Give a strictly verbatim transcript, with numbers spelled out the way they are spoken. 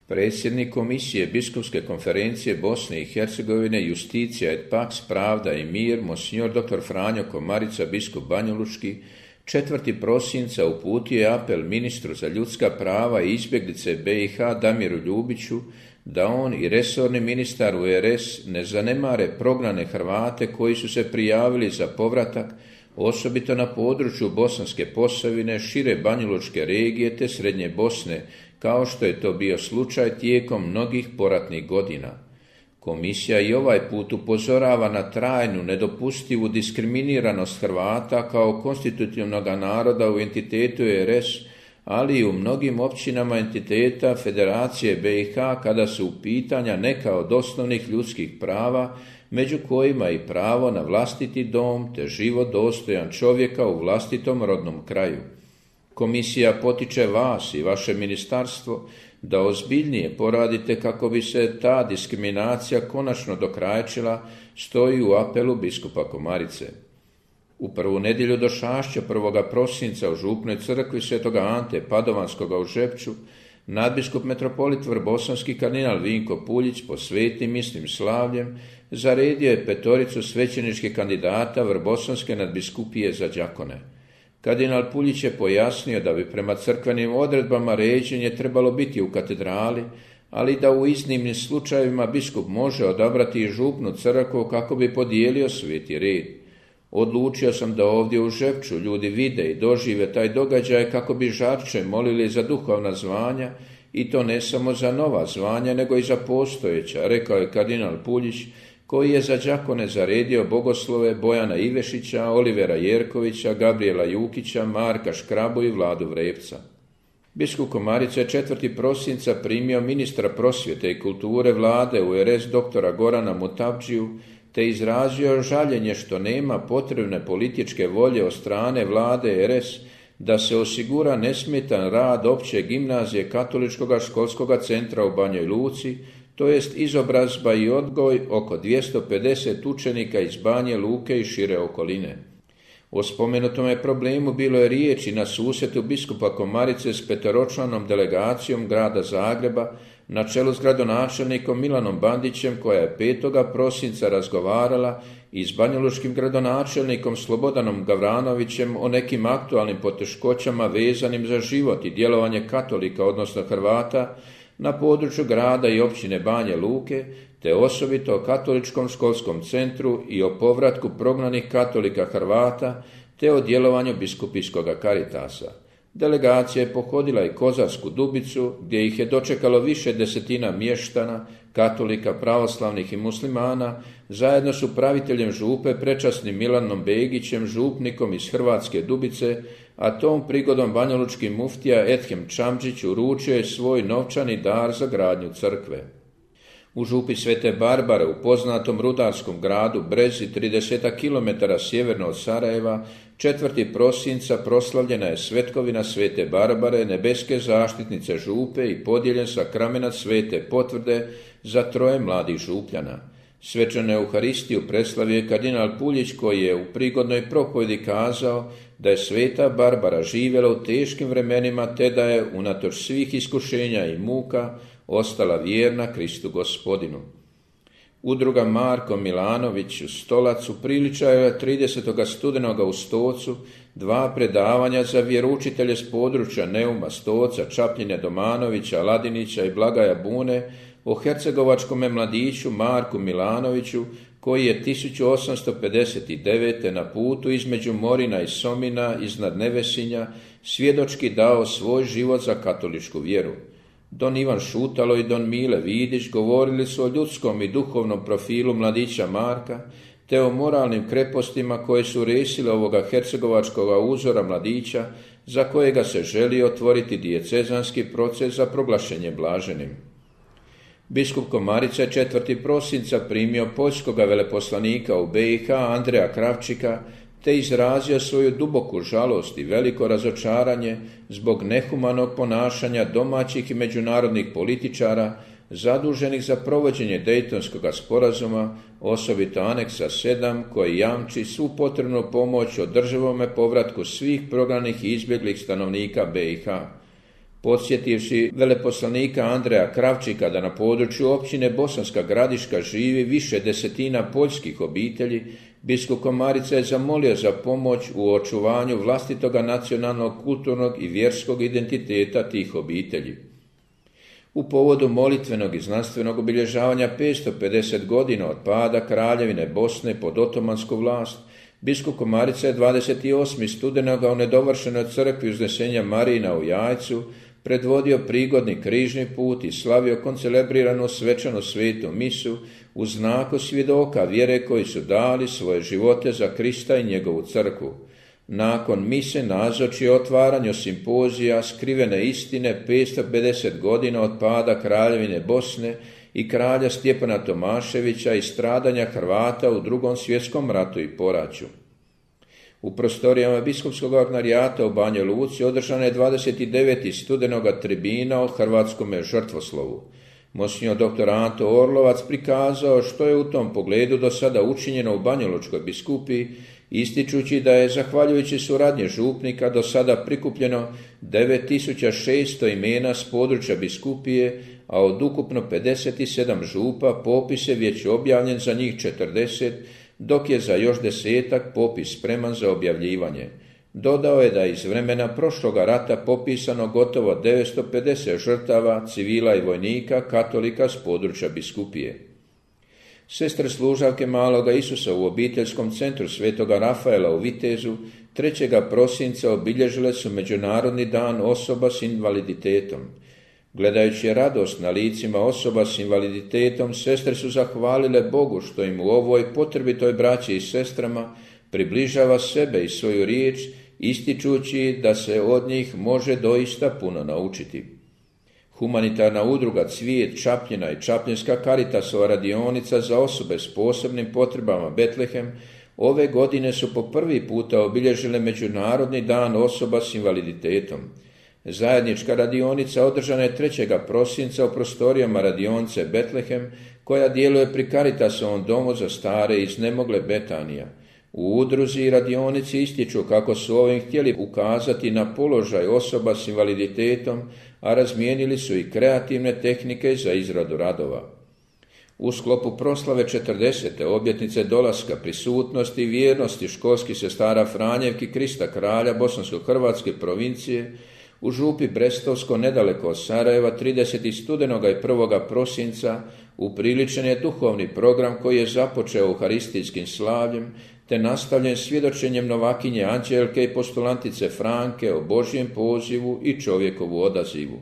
Predsjednik Komisije Biskupske konferencije Bosne i Hercegovine Justicija et Pax, Pravda i mir, monsignor doktor Franjo Komarica, biskup banjalučki, četvrtog prosinca uputio je apel ministru za ljudska prava i izbjeglice B i H Damiru Ljubiću da on i resorni ministar U R S ne zanemare prognane Hrvate koji su se prijavili za povratak, osobito na području Bosanske Posavine, šire banjalučke regije te Srednje Bosne, kao što je to bio slučaj tijekom mnogih poratnih godina. Komisija i ovaj put upozorava na trajnu, nedopustivu diskriminiranost Hrvata kao konstitutivnog naroda u entitetu U R S, ali i u mnogim općinama entiteta Federacije B i H kada su u pitanja neka od osnovnih ljudskih prava, među kojima i pravo na vlastiti dom te život dostojan čovjeka u vlastitom rodnom kraju. Komisija potiče vas i vaše ministarstvo da ozbiljnije poradite kako bi se ta diskriminacija konačno dokrajčila, stoji u apelu biskupa Komarice. U prvu nedjelju do Šašća prvog prosinca u župnoj crkvi Svetoga Ante Padovanskoga u Žepču nadbiskup metropolit vrbosanski kardinal Vinko Puljić po svetim mislim slavljem zaredio je petoricu svećeničkih kandidata vrbosanske nadbiskupije za đakone. Kardinal Puljić je pojasnio da bi prema crkvenim odredbama ređenje trebalo biti u katedrali, ali da u iznimnim slučajevima biskup može odabrati i župnu crkvu kako bi podijelio sveti red. Odlučio sam da ovdje u Žepču ljudi vide i dožive taj događaj kako bi žarče molili za duhovna zvanja i to ne samo za nova zvanja nego i za postojeća, rekao je kardinal Puljić, koji je za đakone zaredio bogoslove Bojana Ivešića, Olivera Jerkovića, Gabriela Jukića, Marka Škrabu i Vladu Vrepca. Biskup Komarica je četvrtog prosinca primio ministra prosvjete i kulture vlade U R S doktora Gorana Mutavdžiju te izrazio žaljenje što nema potrebne političke volje od strane vlade R S da se osigura nesmetan rad opće gimnazije Katoličkog školskog centra u Banjoj Luci, to jest izobrazba i odgoj oko dvjesto pedeset učenika iz Banje Luke i šire okoline. O spomenutome problemu bilo je riječi na susretu biskupa Komarice s petoročlanom delegacijom grada Zagreba na čelu s gradonačelnikom Milanom Bandićem, koja je petog prosinca razgovarala i s banjalučkim gradonačelnikom Slobodanom Gavranovićem o nekim aktualnim poteškoćama vezanim za život i djelovanje katolika, odnosno Hrvata, na području grada i općine Banje Luke, te osobito o katoličkom školskom centru i o povratku prognanih katolika Hrvata, te o djelovanju biskupijskog Karitasa. Delegacija je pohodila i Kozarsku Dubicu, gdje ih je dočekalo više desetina mještana, katolika, pravoslavnih i muslimana, zajedno s upraviteljem župe prečasnim Milanom Begićem, župnikom iz Hrvatske Dubice, a tom prigodom banjalučki muftija Ethem Čamđić uručio je svoj novčani dar za gradnju crkve. U župi Svete Barbare, u poznatom rudarskom gradu Brezi, trideset kilometara sjeverno od Sarajeva, četvrtog prosinca proslavljena je svetkovina Svete Barbare, nebeske zaštitnice župe, i podijeljen sakramenat Svete potvrde za troje mladih župljana. Svečanu Euharistiju preslavio je kardinal Puljić, koji je u prigodnoj propovjedi kazao da je Sveta Barbara živjela u teškim vremenima te da je unatoč svih iskušenja i muka ostala vjerna Kristu Gospodinu. Udruga Marko Milanović u Stolacu priličila je tridesetog studenoga u Stocu dva predavanja za vjeroučitelje s područja Neuma, Stoca, Čapljine, Domanovića, Ladinića i Blagaja Bune o hercegovačkome mladiću Marku Milanoviću, koji je tisuću osamsto pedeset devete. na putu između Morina i Somina iznad Nevesinja svjedočki dao svoj život za katoličku vjeru. Don Ivan Šutalo i don Mile Vidić govorili su o ljudskom i duhovnom profilu mladića Marka, te o moralnim krepostima koje su resile ovoga hercegovačkoga uzora mladića, za kojega se želi otvoriti dijecezanski proces za proglašenje blaženim. Biskup Komarica je četvrtog prosinca primio poljskoga veleposlanika u B i H Andreja Kravčika, te izrazio svoju duboku žalost i veliko razočaranje zbog nehumanog ponašanja domaćih i međunarodnih političara zaduženih za provođenje Dejtonskog sporazuma, osobito aneksa sedam, koji jamči svu potrebnu pomoć održivome povratku svih prognanih i izbjeglih stanovnika B i H. podsjetivši veleposlanika Andreja Kravčika da na području općine Bosanska Gradiška živi više desetina poljskih obitelji, biskup Komarica je zamolio za pomoć u očuvanju vlastitoga nacionalnog, kulturnog i vjerskog identiteta tih obitelji. U povodu molitvenog i znanstvenog obilježavanja petsto pedeset godina od pada Kraljevine Bosne pod otomansku vlast, biskup Komarica je dvadeset osmog studenoga u nedovršenoj crkvi Uznesenja Marijina u Jajcu predvodio prigodni križni put i slavio koncelebriranu svečanu svetu misu u znaku svjedoka vjere koji su dali svoje živote za Krista i njegovu crkvu. Nakon mise nazoči otvaranju simpozija Skrivene istine petsto pedeset godina od pada Kraljevine Bosne i kralja Stjepana Tomaševića i stradanja Hrvata u drugom svjetskom ratu i poraću. U prostorijama biskupskog ordinarijata u Banja Luci održana je dvadeset devetog studenoga tribina o hrvatskome žrtvoslovu. Monsignor doktor Anto Orlovac prikazao što je u tom pogledu do sada učinjeno u Banjalučkoj biskupiji, ističući da je, zahvaljujući suradnje župnika, do sada prikupljeno devet tisuća šesto imena s područja biskupije, a od ukupno pedeset sedam župa popis je već objavljen za njih četrdeset, dok je za još desetak popis spreman za objavljivanje. Dodao je da je iz vremena prošloga rata popisano gotovo devetsto pedeset žrtava, civila i vojnika, katolika s područja biskupije. Sestre služavke Maloga Isusa u obiteljskom centru Svetoga Rafaela u Vitezu trećeg prosinca obilježile su Međunarodni dan osoba s invaliditetom. Gledajući radost na licima osoba s invaliditetom, sestre su zahvalile Bogu što im u ovoj potrebitoj braći i sestrama približava sebe i svoju riječ, ističući da se od njih može doista puno naučiti. Humanitarna udruga Cvijet Čapljina i Čapljinska Karitasova radionica za osobe s posebnim potrebama Betlehem ove godine su po prvi puta obilježile Međunarodni dan osoba s invaliditetom. Zajednička radionica održana je trećeg prosinca u prostorijama radionice Betlehem, koja djeluje pri Caritasovom domu za stare i iznemogle Betanija. U udruzi i radionici ističu kako su ovim htjeli ukazati na položaj osoba s invaliditetom, a razmijenili su i kreativne tehnike za izradu radova. U sklopu proslave četrdesete obljetnice dolaska, prisutnosti i vjernosti školskih sestara Franjevki Krista kralja Bosansko-hrvatske provincije u župi Brestovsko nedaleko od Sarajeva tridesetog studenoga i prvog prosinca upriličen je duhovni program koji je započeo euharistijskim slavljem te nastavljen svjedočenjem novakinje Anđelke i postulantice Franke o Božjem pozivu i čovjekovu odazivu.